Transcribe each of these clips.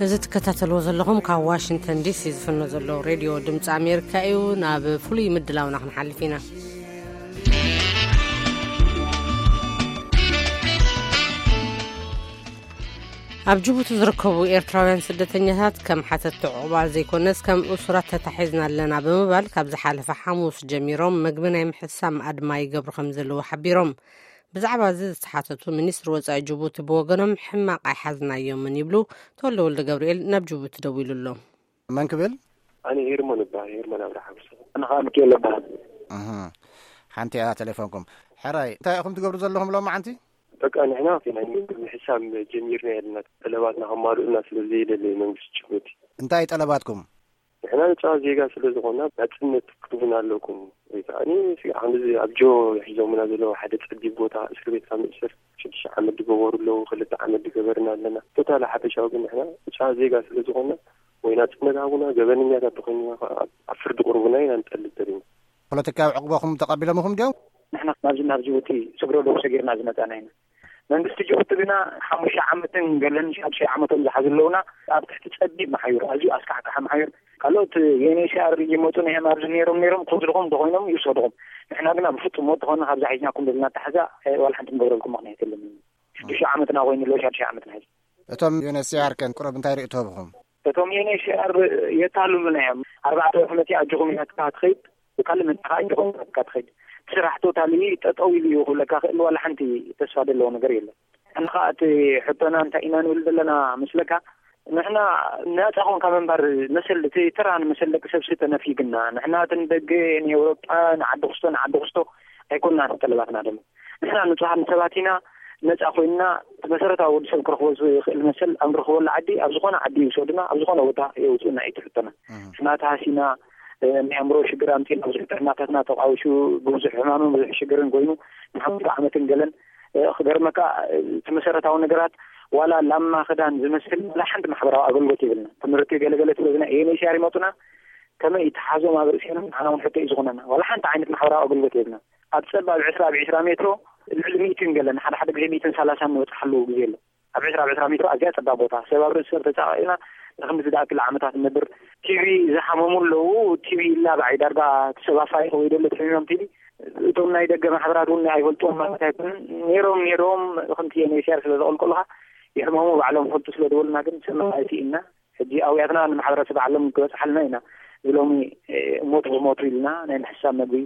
እዚ ትከታተልዎ ዘለኹም ካብ ዋሽንግተን ዲሲ ዝፍኖ ዘሎ ሬድዮ ድምፂ ኣሜሪካ እዩ። ናብ ፍሉይ ምድላውና ክንሓልፍ ኢና። ኣብ ጅቡቲ ዝርከቡ ኤርትራውያን ስደተኛታት ከም ሓተቲ ዕቑባ ዘይኮነስ ከም እሱራት ተታሒዝና ኣለና ብምባል ካብ ዝሓለፈ ሓሙስ ጀሚሮም መግቢ ናይ ምሕሳም ኣድማ ይገብሩ ከም ዘለዉ ሓቢሮም። ብዛዕባ እዚ ዝተሓተቱ ሚኒስትሪ ወጻኢ ጅቡቲ ብወገኖም ሕማቕ ኣይሓዝናዮምን ይብሉ። ተወልደ ወልደ ገብርኤል ናብ ጅቡቲ ደዊሉ ኣሎ። መን ክብል? ኣነ ሄርሞን እበሃል፣ ሄርሞን ኣብርሃም። ኣነ ኸዓ ሚካኤል እበሃል። እህ፣ ሓንቲ እያ ቴሌፎንኩም። ሕራይ፣ እንታይ ኢኹም ትገብሩ ዘለኹም ሎማዓንቲ? በቃ ንሕና ናይ ምግቢ ምሕሳም ጀሚርና ኣለና። ጠለባትና ከማልኡልና ስለ ዘይደለዩ መንግስቲ ጅቡቲ። እንታይ ጠለባትኩም? ንሕና ንጹሃት ዜጋ ስለ ዝኾንና ናጽነት ክትህቡና ኣለኩም። ወይ ከዓኒ፣ እስኪ፣ ከምዚ ኣብ ጆ ሒዞምና ዘለዉ ሓደ ጸቢብ ቦታ፣ እስር ቤት ካብ ንእሰር ሽዱሽተ ዓመት ዝገበሩ ኣለዉ፣ ክልተ ዓመት ዝገበርና ኣለና። ቶታሊ ሓፈሻዊ ግን ንሕና ንጹሃት ዜጋ ስለ ዝኾንና፣ ወይ ናጽነት ሃቡና፣ ገበነኛታት ተኾይንና ከኣ ኣብ ፍርዲ ቅርቡና ኢና ንጠልብ ዘለና። ፖለቲካዊ ዕቕባኹም ተቐቢሎምኹም ድዮም? ንሕና ናብዚ፣ ናብ ጅቡቲ ስግረ ዶብ ሰጊርና ዝመጻና ኢና። መንግስቲ ጅቡቲ ግና ሓሙሽተ ዓመትን ገለን ሻድሻይ ዓመቶም ዝሓዙ ኣለዉና። ኣብ ትሕቲ ጸቢብ መሓዩር፣ ኣዝዩ ኣስካሕካሒ መሓዩር። ካልኦት ዩ ኤን ኤች ሲ ኣር ይመጹ ነይሮም፣ ኣብዚ ነይሮም ነይሮም ክወስድኹም እንተኾይኖም ይውሰድኹም። ንሕና ግና ብፍጹም ወዲ ኾንና ካብዛ ሒዝናኩም ዘለና ኣተሓዛ፣ እ፣ ዋላ ሓንቲ ንገብረልኩም ምኽንያት የለን። ሽዱሽተ ዓመትና ኮይኑ ኣሎ፣ ሻድሻይ ዓመትና ሕዚ። እቶም ዩ ኤን ኤች ሲ ኣር ከን ቁሩብ እንታይ ርእይቶ ህብኹም? እቶም ዩ ኤን ኤች ሲ ኣር የታልሉና እዮም። ኣርባዕተ ወርሒ መጺኣ ኣጆኹም ኢላትካ ትኸይድ፣ ብካልእ መጺኻ ኣጆኹም ኢላትካ ትኸይድ። እቲ ስራሕ ቶታሊ ጠጠው ኢሉ እዩ ክብለካ ክእል፣ ዋላ ሓንቲ ተስፋ ዘለዎ ነገር የለን። ንሕና ኸኣ እቲ ሕቶና እንታይ ኢና ንብል ዘለና መስለካ? ንሕና ናጻ ኮንካ ምንባር መሰል፣ እቲ ተራ ንመሰል ደቂ ሰብሲ ተነፊግና። ንሕና እቲ ንደገ፣ ንኤውሮጳ፣ ንዓዲ ክስቶ፣ ንዓዲ ክስቶ ኣይኮንናን ጠለባትና ደሞ። ንሕና ንጹሃት ሰባት ኢና፣ ነጻ ኮይንና እቲ መሰረታዊ ወዲ ሰብ ክረኽቦ ዝኽእል መሰል ኣብ ንረኽበሉ ዓዲ፣ ኣብ ዝኾነ ዓዲ ይውሰዱና፣ ኣብ ዝኾነ ቦታ የውጽኡና እዩ እቲ ሕቶና። እህ። ንሕና ተሃሲና፣ እ፣ ናይ ኣእምሮ ሽግር ኣምጺእና፣ ብዙሕ ጥዕናታትና ተቋዊሹ፣ ብብዙሕ ሕማምን ብዙሕ ሽግርን ኮይኑ፣ ንሓሙሽተ ዓመትን ገለን፣ እ፣ ክገርመካ፣ እ፣ እቲ መሰረታዊ ነገራት ዋላ ላማ ክዳን ዝመስል ዋላ ሓንቲ ማሕበራዊ ኣገልግሎት የብልና። ትምህርቲ ገለገለ ስለ ዝና ኤን ኤች ሲ ኣር ይመጹና፣ ከመይ ይተሓዞም ኣብ ርእሴና፣ ንዓና እውን ሕቶ እዩ ዝኾነና። ዋላ ሓንቲ ዓይነት ማሕበራዊ ኣገልግሎት የብልና። ኣብ ጸባብ ዕስራ ብ ዕስራ ሜትሮ ልዕሊ ሚእትን ገለን፣ ሓደ ሓደ ግዜ ሚእትን ሰላሳን ንበጽሓሉ ግዜ ኣሎ። ኣብ ዕስራ ብ ዕስራ ሜትሮ ኣዝያ ጸባብ ቦታ፣ ሰብ ኣብ ርእሲ ሰብ ተጻቒቕና ንኽንድዚ ዝኣክል ዓመታት ንነብር። ቲቪ ዝሓመሙ ኣለዉ፣ ቲቪ ይላባዕ እዩ። ዳርጋ እቲ ሰብ ኣፋሪቑ ወይ ደሎ ተሕሚሞም ቲቪ። እቶም ናይ ደገ ማሕበራት እውን ኣይፈልጥዎም ማለት ኣይኮነን። ነይሮም፣ ነይሮም፣ ከምቲ ኤን ኤች ሲ ኣር ስለ ዘቐልቀሉኻ ይሕመሙ፣ ባዕሎም ይፈልጡ ስለ ዝበሉና ግን ሰማዒ ስኢንና። ሕጂ ኣውያትና ንማሕበረሰብ ዓለም ክበጽሓልና ኢና። እዚ ሎሚ፣ እ፣ ሞት ብሞት ኢልና ናይ ምሕሳብ መግቢ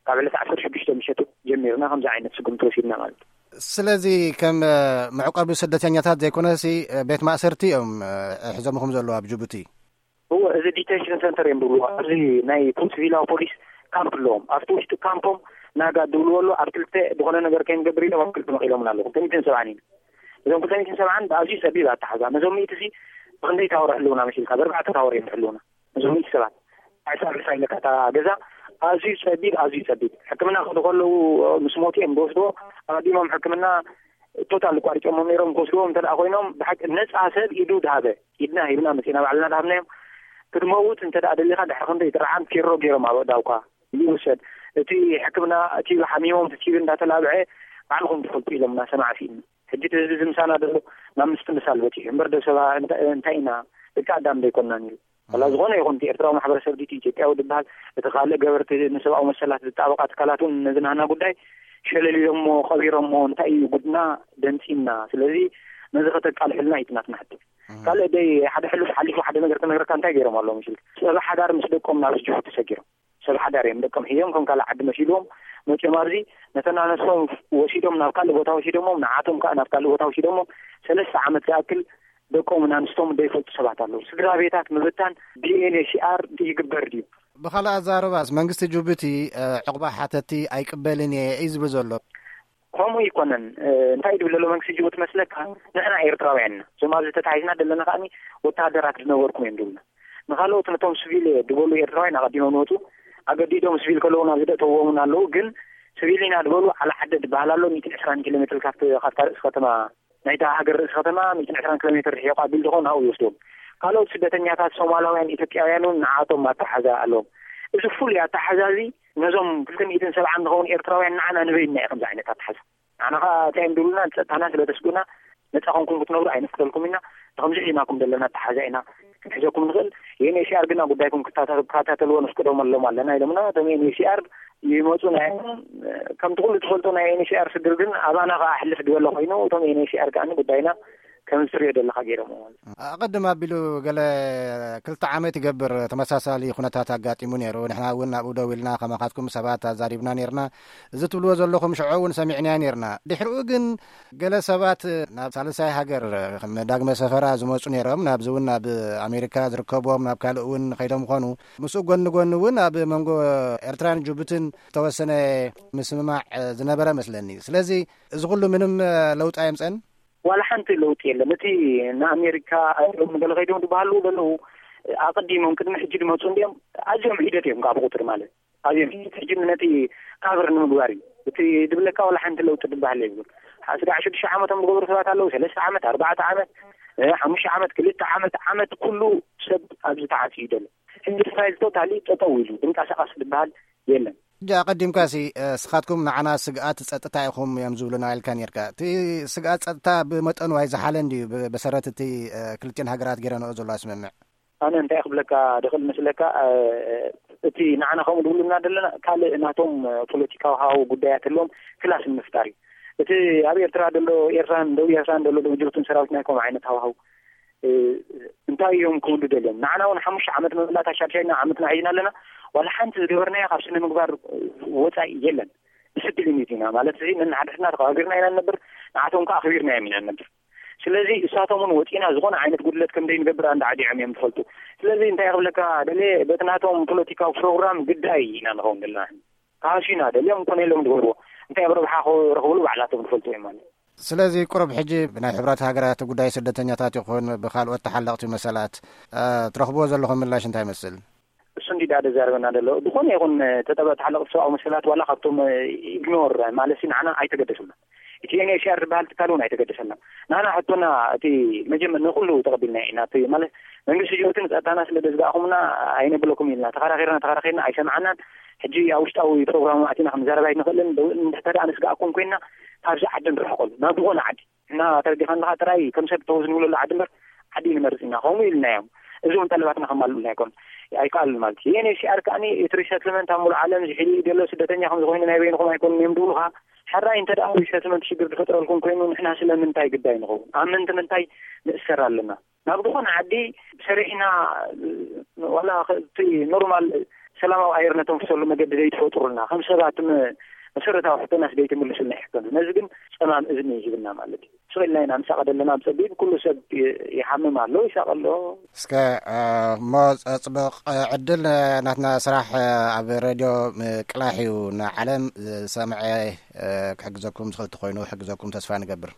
ካብ ዕለት ዓሰርተ ሽዱሽተ ምሸት ጀሚርና ከምዚ ዓይነት ስጉምቲ ወሲድና ማለት እዩ። ስለዚ ከም፣ እ፣ መዕቆቢ ስደተኛታት ዘይኮነሲ፣ እ፣ ቤት ማእሰርቲ እዮም፣ እ፣ ሒዞምኹም ዘለዉ ኣብ ጅቡቲ? እወ፣ እዚ ዲቴንሽን ሰንተር እዮም ዝብልዎ። ኣብዚ ናይ ፖሊስ ቪላዊ ፖሊስ ካምፕ ኣለዎም። ኣብቲ ውሽጢ ካምፖም ናጋ ዝብልዎ ኣሎ። ኣብ ክልተ ዝኾነ ነገር ከይንገብር ኢሎም ኣብ ክልተ መቒሎምና ኣለዉ። ክልተ ሚእትን ሰብዓን ኢና። እዞም ክልተ ሚእትን ሰብዓን ብኣዝዩ ጸቢብ ኣተሓዛ። ነዞም ሚእቲ እዚ ብኽንደይ ታወር ይሕልውና መሲልካ? ብኣርባዕተ ታወር እዮም ይሕልውና። ነዞም ሚእቲ ሰባት። ዕስራ ብዕስራ ኢለካ እታ ገዛ ኣዝዩ ጸቢብ፣ ኣዝዩ ጸቢብ። ሕክምና ክኸዱ ከለዉ ምስ ሞቱ እዮም ዝወስድዎ። ኣቐዲሞም ሕክምና ቶታል ኣቋሪጾሞም ነይሮም ክወስድዎም እንተ ደኣ ኮይኖም፣ ብሓቂ ነጻ ሰብ ኢዱ ድሃበ፣ ኢድና ሂብና መጺእና ባዕልና ድሃብናዮም። ክትመውት እንተ ደኣ ደሊኻ ድሕሪ ክንደይ ጥርዓን ፌሮ ገይሮም ኣብ ኣእዳውካ ይውሰድ። እቲ ሕክምና ቲቪ ሓሚሞም፣ እቲ ቲቪ እንዳተላብዐ ባዕልኹም ትፈልጡ ኢሎምና፣ ሰማዕቲ ኢና። ሕጂ እቲ ህዝቢ እዚ ምሳና ዘሎ ናብ ምስትምሳል በጺሑ። እምበር ደሰባ እንታ-፣ እንታይ ኢና? ደቂ ኣዳም ዶ ኣይኮንናን ኢሉ። ዋላ እም። ዝኾነ ይኹን እቲ ኤርትራዊ ማሕበረሰብ ድዩ፣ ኢትዮጵያዊ ዝበሃል፣ እቲ ካልእ ገበርቲ ንሰብኣዊ መሰላት ዝጣበቓ ትካላት እውን ነዚ ናህና ጉዳይ ሸለል ኢሎሞ፣ ቀቢሮሞ፣ እንታይ እዩ ጉድና ደንጺና። ስለዚ ነዚ ከተቃልሕልና እዩ እቲ ናትና ሕቶ። እም። ካልእ ደይ ሓደ ሕሉፍ ሓሊፉ ሓደ ነገር ክነግረካ እንታይ ገይሮም ኣለዉ መሲልካ? ሰብ ሓዳር ምስ ደቆም ናብ ጅቡቲ ሰጊሮም። ሰብ ሓዳር እዮም ደቆም ሒዞም ከም ካልእ ዓዲ መሲልዎም መጺኦም ኣብዚ ነተን ኣነስቶም ወሲዶም ናብ ካልእ ቦታ ወሲዶሞም፣ ንዓቶም ከኣ ናብ ካልእ ቦታ ወሲዶሞም ሰለስተ ዓመት ዝኣክል ደቆምን ኣንስቶም ዘይፈልጡ ሰባት ኣለዉ። ስድራ ቤታት ምብታን ብ ዩ ኤን ኤች ሲ ኣር ይግበር ድዩ? ብኻልእ ኣዛረባስ መንግስቲ ጅቡቲ፣ እ፣ ዕቑባ ሓተቲ ኣይቅበልን እየ እዩ ዝብል ዘሎ። ከምኡ ኣይኮነን። እ፣ እንታይ ድብል ዘሎ መንግስቲ ጅቡቲ መስለካ? ንሕና ኤርትራውያን ኢና። እዞም ኣብዚ ተታሒዝና ዘለና ከኣኒ ወተሃደራት ዝነበርኩም እዮም ድብሉና። ንኻልኦት ነቶም ስቪል እየ ድበሉ ኤርትራውያን ኣቐዲሞም ንወፁ። ኣገዲዶም ስቪል ከለዉ ናብ ዝደእተዎም እውን ኣለዉ። ግን ስቪል ኢና ድበሉ ዓላ ዓደ ድበሃል ኣሎ። ሚእትን ዕስራን ኪሎ ሜትር ካብቲ፣ ካብታ ርእሲ ከተማ ናይታ ሃገር ርእሲ ከተማ ሚእትን ዕስራን ኪሎ ሜትር ርሒቑ ኣቢሉ ዝኾነ ኣብኡ ይወስድዎም። ካልኦት ስደተኛታት ሶማላውያን፣ ኢትዮጵያውያን እውን ንዓቶም ኣተሓሕዛ ኣለዎም። እዚ ፍሉይ ኣተሓሕዛ እዚ ነዞም ክልተ ሚእትን ሰብዓን ንኸውን ኤርትራውያን ንዓና ንበይንና እዩ ከምዚ ዓይነት ኣተሓሕዛ። ንዓና ኸኣ እንታይ እዮም ዝብሉና? ንጸጥታና ስለ ተስጉና ነፃ ኮንኩም ክትነብሩ ኣይነፍቅደልኩም ኢና። ንከምዚ ሒዝናኩም ዘለና ኣተሓዛ ኢና ክንሕዘኩም ንኽእል። ዩ ኤን ኤች ሲ ኣር ግና ጉዳይኩም ክታተ- ክከታተልዎ ንፍቅዶም ኣለዎም ኣለና ኢሎምና። እቶም ዩ ኤን ኤች ሲ ኣር ይመፁ ናይ ከምቲ ኩሉ ትፈልጦ ናይ ዩ ኤን ኤች ሲ ኣር ስድር ግን ኣባና ከዓ ሕልፍ ዝበለ ኮይኑ እቶም ዩ ኤን ኤች ሲ ኣር ከዓ ጉዳይና ከም ዝትሪኦ ዘለካ ገይሮም። ኣቐድም ኣቢሉ ገለ ክልተ ዓመት ይገብር ተመሳሳሊ ኩነታት ኣጋጢሙ ነይሩ። ንሕና እውን ኣብኡ ደው ኢልና ከማኻትኩም ሰባት ኣዛሪብና ነይርና። እዚ ትብልዎ ዘለኹም ሽዑ እውን ሰሚዕናዮ ነይርና። ድሕሪኡ ግን ገለ ሰባት ናብ ሳልሳይ ሃገር ከም ዳግመ ሰፈራ ዝመፁ ነይሮም። ናብዚ እውን ናብ ኣሜሪካ ዝርከብዎም ናብ ካልእ እውን ከይዶም ኾኑ። ምስኡ ጎኒ ጎኒ እውን ኣብ መንጎ ኤርትራን ጅቡትን ዝተወሰነ ምስምማዕ ዝነበረ መስለኒ። ስለዚ እዚ ኩሉ ምንም ለውጢ ኣየምፀን። ዋላ ሓንቲ ለውጢ የለን። እቲ ንኣሜሪካ ንገለ ከይዶም ዝበሃሉ ዘለዉ ኣቐዲሞም ቅድሚ ሕጂ ዝመፁ እንዲኦም ኣዝዮም ሒደት እዮም ካብ ቁፅሪ ማለት ኣዝዮም ሒደት። ሕጂ ነቲ ካቨር ንምግባር እዩ እቲ ድብለካ ዋላ ሓንቲ ለውጢ ዝበሃል የብሉን። ስጋዕ ሽዱሽተ ዓመቶም ዝገበሩ ሰባት ኣለዉ። ሰለስተ ዓመት፣ ኣርባዕተ ዓመት፣ ሓሙሽተ ዓመት፣ ክልተ ዓመት ዓመት ኩሉ ሰብ ኣብዚ ተዓፅዩ ዘሎ። ሕጂ ፋይል ቶታሊ ጠጠው ኢሉ ድንቀሳቀስ ዝበሃል የለን። ሕጂ ኣቐዲምካሲ ስኻትኩም ንዓና ስግኣት ጸጥታ ኢኹም እዮም ዝብሉና ኢልካ ነርካ። እቲ ስግኣት ጸጥታ ብመጠኑ ኣይዝሓለን ድዩ? ብመሰረት እቲ ክልቲኦን ሃገራት ገይረንኦ ዘለዋ ስምምዕ። ኣነ እንታይ ክብለካ ድኽእል መስለካ፣ እቲ ንዓና ከምኡ ዝብሉና ዘለና ካልእ ናቶም ፖለቲካዊ ሃዋህው ጉዳያት ኣለዎም ክላስ ንምፍጣር እዩ። እቲ ኣብ ኤርትራ ዘሎ ኤርትራን ደቡብ ኤርትራን ዘሎ ጅቡትን ሰራዊት ናይ ከምኡ ዓይነት ሃዋህው እንታይ እዮም ክብሉ ደልዮም? ንዓና እውን ሓሙሽተ ዓመት ምምላእ ኣሻድሻይና ዓመትና ሒዝና ኣለና። ዋላ ሓንቲ ዝገበርናዮ ካብ ስነ ምግባር ወፃኢ የለን። ዲስፕሊን ኢና ማለት እዚ ነንሓድሕድና ተኸባቢርና ኢና ንነብር። ንዓቶም ከዓ ኣኽቢርናዮም ኢና ንነብር። ስለዚ እሳቶም እውን ወፂና ዝኾነ ዓይነት ጉድለት ከም ዘይንገብር ኣንዳ ዓዲዖም እዮም ዝፈልጡ። ስለዚ እንታይ ክብለካ ደልየ በቲ ናቶም ፖለቲካዊ ፕሮግራም ግዳይ ኢና ንኸውን ዘለና። ካሃሲና ደልዮም ኮነ ኢሎም ዝበልዎ እንታይ ኣብ ረብሓ ክረኽብሉ ባዕላቶም ዝፈልጡ እዮም ማለት። ስለዚ ቁሩብ ሕጂ ብናይ ሕብረት ሃገራት ጉዳይ ስደተኛታት ይኹን ብካልኦት ተሓለቕቲ መሰላት ትረኽብዎ ዘለኹም ምላሽ እንታይ ይመስል? እሱ እንዲ ዳ ዘዛርበና ዘሎ ዝኾነ ይኹን ተጠበ ተሓለቕቲ ሰብኣዊ መሰላት ዋላ ካብቶም ኢግኖር ማለት ንዓና ኣይተገደሱና። እቲ ኤንኤችሲኣር ዝበሃል ትካል እውን ኣይተገደሰና። ንዓና ሕቶና እቲ መጀመር ንኩሉ ተቐቢልና ኢና። እቲ ማለት መንግስቲ ጅቡቲ ንፀጥታና ስለ ደዝጋእኹምና ኣይነብለኩም ኢልና ተኸራኺርና ተኸራኺርና ኣይሰምዓናን። ሕጂ ኣብ ውሽጣዊ ፕሮግራም ኣቲና ክንዛረብ ኣይንኽእልን። እንድሕተዳ ንስጋእኩም ኮይና ካብዚ ዓዲ ንርሕቀሉ ናብ ዝኾነ ዓዲ እና ተረዲኻ ኣለኻ ጥራይ ከም ሰብ ተወዝ ንብለሉ ዓዲ እምበር ዓዲ ንመርፅ ኢና ከምኡ ኢልና እዮም። እዚ እውን ጠለባትና ከማልኡልና ኣይኮን ኣይከኣሉን ማለት እዩ። ዩኤንኤችሲኣር ከዓኒ እቲ ሪሰትልመንት ኣብ ሙሉእ ዓለም ዝሕል ዘሎ ስደተኛ ከም ዝኾይኑ ናይ በይንኹም ኣይኮኑን እዮም ዝብሉኻ። ሕራይ እንተ ደኣ ሪሰትልመንት ሽግር ዝፈጥረልኩም ኮይኑ ንሕና ስለምንታይ ግዳይ ንኸውን? ኣብ ምንቲ ምንታይ ንእሰር ኣለና? ናብ ዝኾነ ዓዲ ሰሪሕና ዋላ እቲ ኖርማል ሰላማዊ ኣየር ነተንፍሰሉ መገዲ ዘይትፈጥሩልና ከም ሰባት መሰረታዊ ሕቶናስ ዘይትምልሱልና ሕቶና ነዚ ግን ፀማም እዝኒ ይህብና ማለት እዩ። ስቕ ኢልና ኢና ንሳቐ ዘለና ብፀቢብ ኩሉ ሰብ ይሓምም ኣሎ ይሳቐ ኣሎ። እስከ እሞ ፅቡቕ ዕድል ናትና ስራሕ ኣብ ሬድዮ ምቅላሕ እዩ ንዓለም ዝሰምዐ ክሕግዘኩም ዝኽእል ተኮይኑ ክሕግዘኩም ተስፋ ንገብር።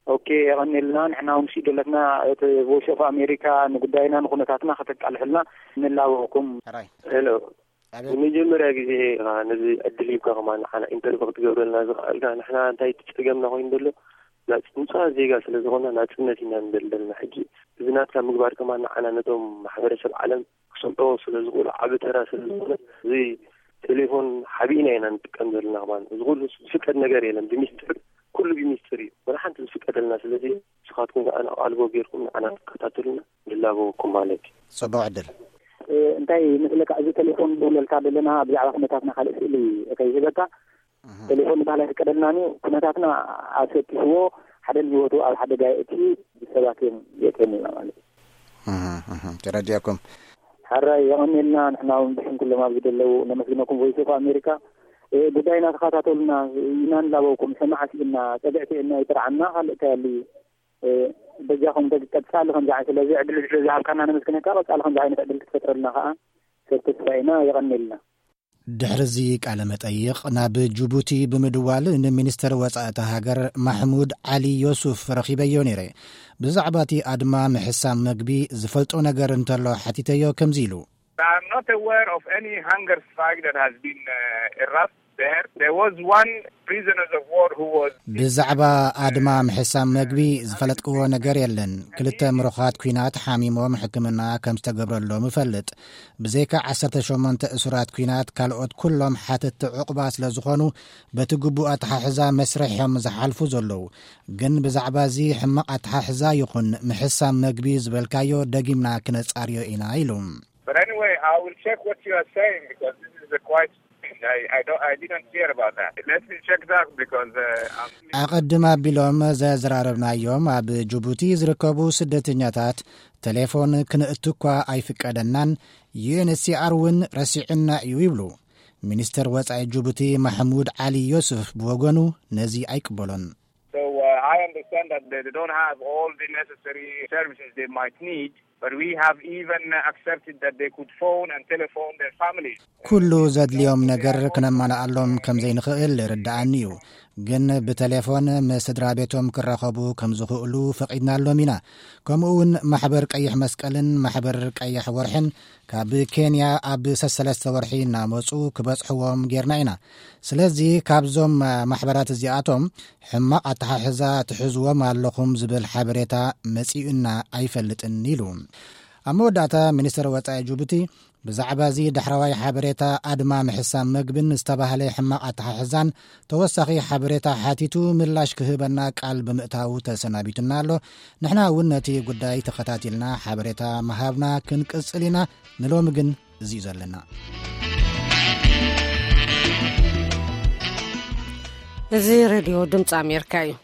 ኦኬ የቐኒልና ንሕና እውን ስኢደለትና እቲ ቮይስ ኦፍ ኣሜሪካ ንጉዳይና ንኩነታትና ከተቃልሕልና ንላበወኩም። ሕራይ። ሄሎ። ኣቤት። ንመጀመርያ ግዜ ኢኻ ነዚ ዕድል ሂብካ ከማን ንዓና ኢንተርቪ ክትገብረልና ዝኸኣልካ። ንሕና እንታይ እቲ ጸገምና ኮይኑ ዘሎ ናጽ- ንጹሃት ዜጋ ስለ ዝኾንና ናጽነት ኢና ንደሊ ዘለና። ሕጂ እዚ ናትካ ምግባር ከማን ንዓና ነቶም ማሕበረሰብ ዓለም ክሰምዕዎ ስለ ዝኽእሉ ዓቢ ተራ ስለ ዝኾነ እዚ ቴሌፎን ሓቢእና ኢና ንጥቀም ዘለና ከማን። እዚ ኩሉ ዝፍቀድ ነገር የለን። ብሚስጥር ኩሉ ብሚስጥር እዩ። ወላ ሓንቲ ዝፍቀደልና ስለዚ ንስኻትኩም ከኣ ናብ ኣልቦ ጌርኩም ንዓና ትከታተሉና ንላበወኩም ማለት እዩ። ጽቡቕ ዕድል። እንታይ ይመስለካ እዚ ቴሌፎን ንብለልካ ዘለና ብዛዕባ ኩነታትና ካልእ ስእሊ ከይህበካ። ቴሌፎን ንባህል ኣይፍቀደልናን እዩ። ኩነታትና ኣሰኪፍዎ ሓደ ንህይወቱ ኣብ ሓደጋ የእቲ ሰባት እዮም የእትየምልና ማለት እዩ። ተረዲአኩም። ሕራይ የቐኒልና ንሕና እውን ብሽም ኩሎም ኣብዚ ዘለዉ ነመስግነኩም ቮይስ ኦፍ ኣሜሪካ። ጉዳይና ተኸታተሉና ኢና ንላበውኩም ሰማዕቲ ኢና ጸግዕቲ እና ይጥርዓና ካልእ እንታይ ኣሉ እዩ። በጃኹም ቀጻሊ ከምዚ ዓይነት ስለዚ ዕድል ስለ ዝሃብካና ነመስግነካ ቀጻሊ ከምዚ ዓይነት ዕድል ክትፈጥረልና ከዓ ሰብ ተስፋ ኢና። የቐኒልና። ድሕሪ እዚ ቃለ መጠይቕ ናብ ጅቡቲ ብምድዋል ንሚኒስተር ወጻኢ እታ ሃገር ማሕሙድ ዓሊ ዮሱፍ ረኺበዮ ነይረ። ብዛዕባ እቲ ኣድማ ምሕሳም መግቢ ዝፈልጦ ነገር እንተሎ ሓቲተዮ ከምዚ ኢሉ። I'm not aware of any hunger strike that has been uh, erupted. There, there was one prisoners of war who was ብዛዕባ ኣድማ ምሕሳም መግቢ ዝፈለጥክዎ ነገር የለን። ክልተ ምሩኻት ኲናት ሓሚሞም ሕክምና ከም ዝተገብረሎም እፈልጥ። ብዘይካ ዓሰርተ ሸሞንተ እሱራት ኲናት ካልኦት ኩሎም ሓተትቲ ዕቑባ ስለ ዝኾኑ በቲ ግቡእ ኣተሓሕዛ መስርሕ እዮም ዝሓልፉ ዘለዉ። ግን ብዛዕባ እዚ ሕማቕ ኣተሓሕዛ ይኹን ምሕሳም መግቢ ዝበልካዮ ደጊምና ክነጻርዮ ኢና ኢሉ። But anyway, I will check what you are saying because this is a quite. I, I don't. I didn't hear about that. Let me check that because uh, I'm. ኣቐድም ኣቢሎም ዘዘራረብናዮም ኣብ ጅቡቲ ዝርከቡ ስደተኛታት ቴሌፎን ክንእቱ እኳ ኣይፍቀደናን፣ ዩ ኤን ኤች ሲ ኣር እውን ረሲዕና እዩ ይብሉ። ሚኒስተር ወጻኢ ጅቡቲ ማሕሙድ ዓሊ ዮስፍ ብወገኑ ነዚ ኣይቅበሎን። So uh, I understand that they don't have all the necessary services they might need, but we have even accepted that they could phone and telephone their families. ኩሉ ዘድልዮም ነገር ክነማልኣሎም ከም ዘይንኽእል ርድኣኒ እዩ። ግን ብቴሌፎን ምስ ስድራ ቤቶም ክራኸቡ ከም ዝኽእሉ ፈቒድናሎም ኢና። ከምኡ እውን ማሕበር ቀይሕ መስቀልን ማሕበር ቀይሕ ወርሕን ካብ ኬንያ ኣብ ሰሰለስተ ወርሒ እናመፁ ክበፅሕዎም ጌርና ኢና። ስለዚ ካብዞም ማሕበራት እዚኣቶም ሕማቕ ኣተሓሕዛ ትሕዝዎም ኣለኹም ዝብል ሓበሬታ መፂኡና ኣይፈልጥን ኢሉ። ኣብ መወዳእታ ሚኒስትር ወፃኢ ጅቡቲ ብዛዕባ እዚ ዳሕረዋይ ሓበሬታ ኣድማ ምሕሳም መግብን ዝተባህለ ሕማቕ ኣተሓሕዛን ተወሳኺ ሓበሬታ ሓቲቱ ምላሽ ክህበና ቃል ብምእታዉ ተሰናቢቱና ኣሎ። ንሕና እውን ነቲ ጉዳይ ተኸታቲልና ሓበሬታ ምሃብና ክንቅጽል ኢና። ንሎሚ ግን እዚ እዩ ዘለና። እዚ ሬድዮ ድምፂ ኣሜሪካ እዩ።